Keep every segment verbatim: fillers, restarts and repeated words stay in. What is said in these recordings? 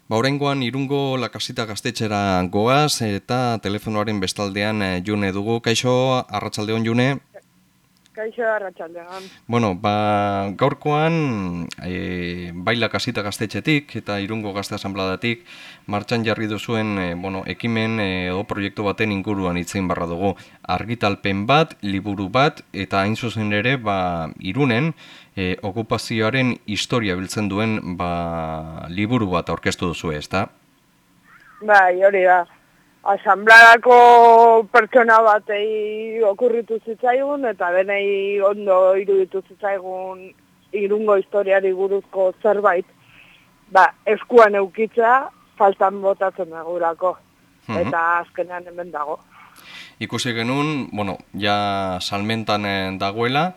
Ba, oraingoan Irungo Lakasita gaztetxera goaz eta telefonoaren bestaldean eh, June dugu. Kaixo, arratsaldeon June. Kaixo arratsaldean. Bueno, ba, gaurkoan e, bai Lakasita gaztetxetik eta Irungo Gazte Asanbladatik martxan jarri duzuen e, bueno, ekimen e, edo proiektu baten inguruan hitzein barra dugu. Argitalpen bat, liburu bat eta hain zuzen ere ba, Irunen e, okupazioaren historia biltzen duen ba, liburu bat aurkeztu duzu, ezta? Bai, hori da. Asambladako pertsona batei okurritu zitzaigun eta denei ondo iruditu zitzaigun Irungo historiari buruzko zerbait. Ba, eskuan eukitza faltan botatzen dagurako. Eta azkenean hemen dago. Ikusi genuen, bueno, ja salmentan eh, dagoela,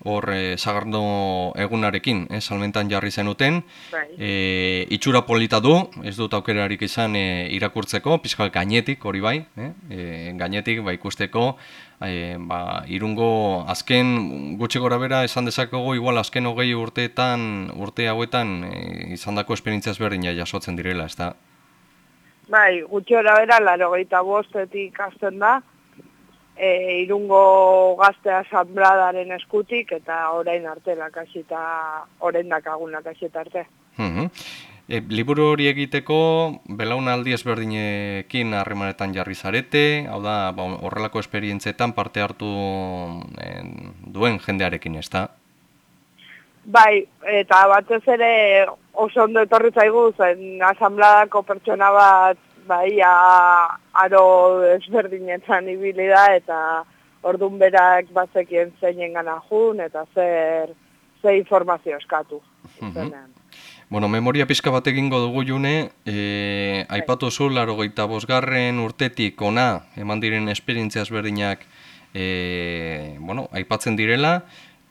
hor eh, sagardo egunarekin, eh, salmentan jarri zenuten, Bai. eh, itxura polita du, ez dut aukerarik izan eh, irakurtzeko, pixka gainetik hori bai, eh, eh, gainetik ba, ikusteko, eh, ba, Irungo azken gutxi gora bera esan dezakegu, igual azken hogei urteetan, urte hauetan eh, izandako esperientzia ezberdina jasotzen direla, ez da? Bai, gutxi hora bera, laro gehieta bostetik hasten da, e, Irungo Gazte Asanbladaren eskutik, eta orain arte lakasita, orain dakagun lakasita arte. Mhm. E, liburu hori egiteko belaunaldi ezberdinekin harremanetan jarri zarete, hau da, ba, horrelako esperientzietan parte hartu en, duen jendearekin, ez da? Bai, eta batez ere oso ondo etorri zaigu zen asanbladako pertsona bat bai a, aro ezberdinetan ibili da eta ordun berak bazekien zeinen gana jun eta zer ze informazio eskatu. Zenean. Bueno, memoria pizka bat egingo dugu June, e, aipatu zu laurogeita bosgarren urtetik ona eman diren esperientzia ezberdinak e, bueno, aipatzen direla,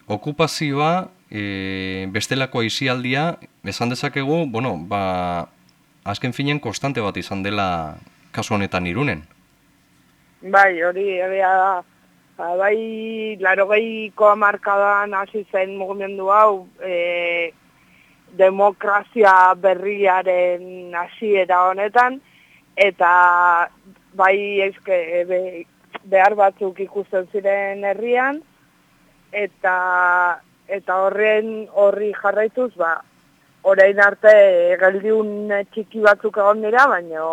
okupazioa, e, bestelako aisialdia, esan dezakegu, bueno, ba, azken finen konstante bat izan dela kasu honetan Irunen. Bai, hori egia da. Ba, bai, laurogeiko hamarkadan hasi zen mugimendu hau, e, demokrazia berriaren hasiera honetan, eta bai eske, be, behar batzuk ikusten ziren herrian, eta eta horren horri jarraituz, ba, orain arte geldiun txiki batzuk egon dira, baina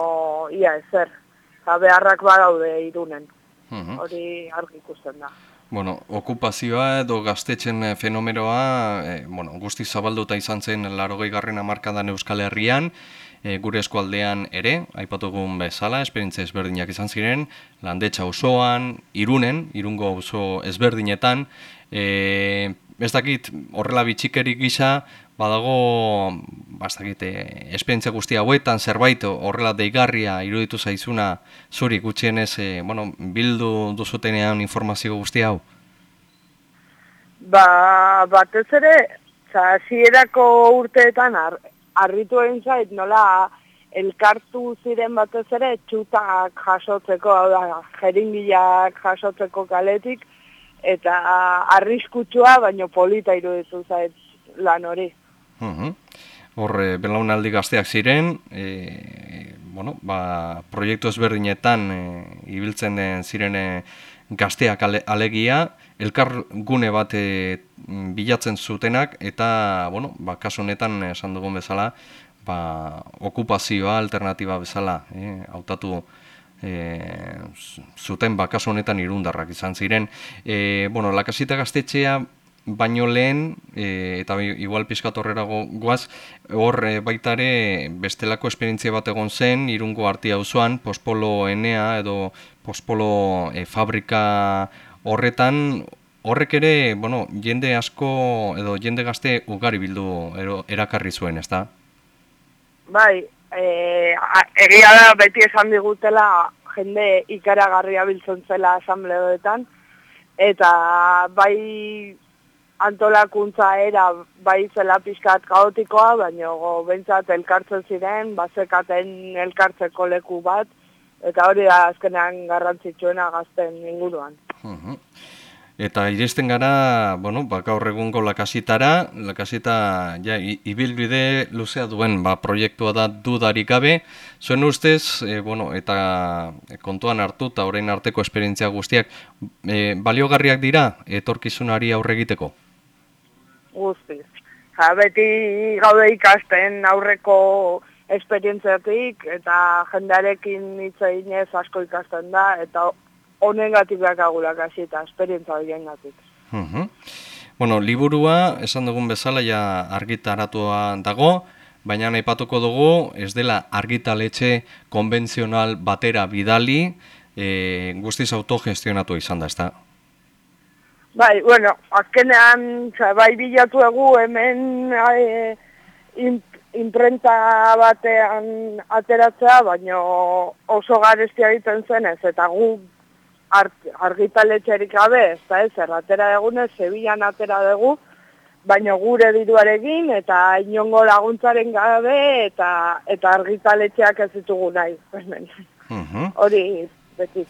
ia ezer, eta beharrak badaude Irunen, hori argi ikusten da. Bueno, okupazioa edo gaztetxen fenomenoa e, bueno, guzti zabalduta izan zen laurogei garren hamarkadan Euskal Herrian, e, gure eskualdean ere, aipatugun bezala, esperientzia ezberdinak izan ziren, Landetxa osoan, Irunen, Irungo oso ezberdinetan, e, ez dakit horrela bitxikerik gisa, badago, ez dakit, e, esperientzia guzti hauetan, zerbait horrela deigarria iruditu zaizuna zuri gutxienez, e, bueno, bildu duzutenean informazio guzti hau? Ba, batez ere, hasierako urteetan ar, harritu egin zait, nola elkartu ziren batez ere txutak jasotzeko, hau da, jeringiak jasotzeko kaletik, eta arriskutsua, baino polita iruditu zait lan hori. Uhum. Hor, e, belaunaldi gazteak ziren, e, bueno, ba, proiektu ezberdinetan e, ibiltzen den ziren e, gazteak ale, alegia, elkar gune bat e, bilatzen zutenak, eta, bueno, ba, kasu honetan esan dugun bezala, ba, okupazioa alternatiba bezala, e, hautatu e, zuten, ba, kasu honetan irundarrak izan ziren. E, bueno, Lakasita gaztetxea, baino lehen, e, eta igual pizkat horrerago goaz, hor e, baitare bestelako esperientzia bat egon zen, Irungo Artia auzoan, Pospolo Enea edo Pospolo e, fabrika horretan, horrek ere, bueno, jende asko edo jende gazte ugari bildu ero, erakarri zuen, ezta? Bai, e, egia da beti esan digutela jende ikaragarria biltzen zela asambleoetan, eta bai antolakuntza era bai zela pixkat kaotikoa, baina behintzat elkartzen ziren, bazekaten elkartzeko leku bat, eta hori da azkenean garrantzitsuena gazten inguruan. Uh-huh. Eta iristen gara, bueno, ba, gaur egungo lakasitara, lakasita ja, i- ibilbide luzea duen ba, proiektua da dudarik gabe. Zuen ustez, e, bueno, eta kontuan hartu eta orain arteko esperientzia guztiak, e, baliogarriak dira etorkizunari aurre egiteko? Guztiz. Ja, beti gaude ikasten aurreko esperientziatik eta jendearekin hitz eginez asko ikasten da eta honengatik dakagula kasi eta esperientzia horiengatik. Mhm. Bueno, liburua, esan dugun bezala, ja argitaratua dago, baina aipatuko dugu, ez dela argitaletxe konbentzional batera bidali, e, guztiz autogestionatu izan da, ezta? Bai, bueno, azkenean, oza, bai bilatu egu hemen e, imprenta batean ateratzea, baina oso garestia egiten zenez, eta gu argitaletxerik gabe, ez da ez, atera egunez, Sevillan atera dugu, baina gure diruarekin eta inongo laguntzaren gabe eta eta argitaletxeak ez ditugu nahi. Hori, beti.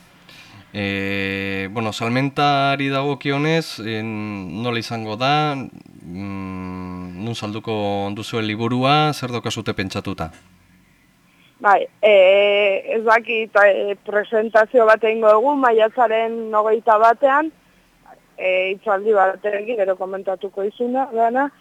E, bueno, salmentari dagokionez, en, nola izango da, mm, nun salduko duzuen liburua, zer daukazute pentsatuta? Bai, e, ez dakit e, presentazio bat egingo dugu, maiatzaren hogeita batean, e, itzaldi batekin, gero komentatuko izuna, dana,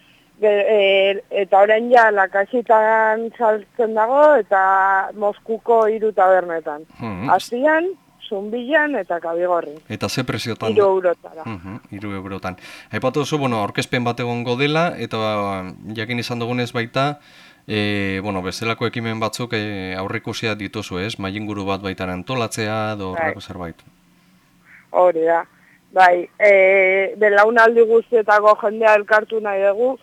e, eta orain ja lakasitan saltzen dago, eta Moskuko hiru tabernetan. Hmm. Astian, Zumbilan eta Kabigorrin. Eta ze preziotan? Hiru eurotara. Uh-huh, hiru eurotan. Aipatu duzu, bueno, aurkezpen bat egongo dela, eta jakin izan dugunez baita, e, bueno, bezalako ekimen batzuk e, aurrikusia dituzu, ez? Mailinguru bat baita antolatzea, edo horreko zerbait. Hori da. Bai, e, belaunaldi guztietako jendea elkartu nahi dugu,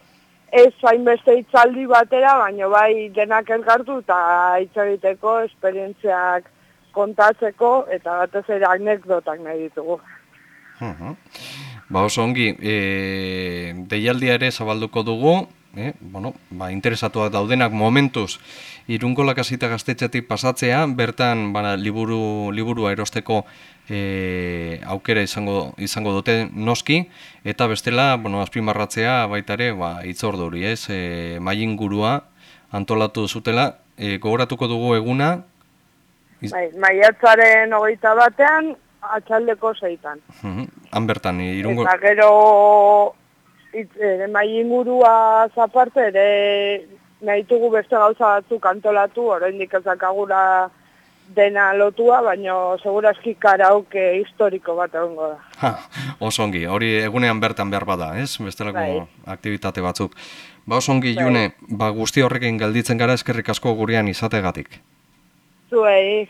ez hainbeste hitzaldi batera, baina bai denak elkartu eta hitz egiteko, esperientziak kontatzeko eta batez ere anekdotak nahi ditugu. Uh-huh. Ba oso ongi, e, deialdia ere zabalduko dugu, eh? Bueno, ba, interesatuak daudenak momentuz Irungo Lakasita gaztetxetik pasatzea, bertan ba, liburu, liburua erosteko e, aukera izango, izango dute noski, eta bestela, bueno, azpimarratzea baita ere, ba, itzorduri, ez, e, mailingurua antolatu zutela, e, gogoratuko dugu eguna, Bai, maiatzaren hogeita batean, atxaldeko zeitan. Uh-huh. Han bertan, irungo... Eta gero e, mailingurua zaparte ere nahi dugu beste gauza batzuk antolatu, oraindik ez dakagura dena lotua, baina segurazki karaoke historiko bat egongo da. Ha, oso ongi, hori egunean bertan behar bada, ez? Bestelako bai. Aktibitate batzuk. Ba oso ongi, bai. June, ba, guzti horrekin gelditzen gara eskerrik asko gurean izategatik. Zuei.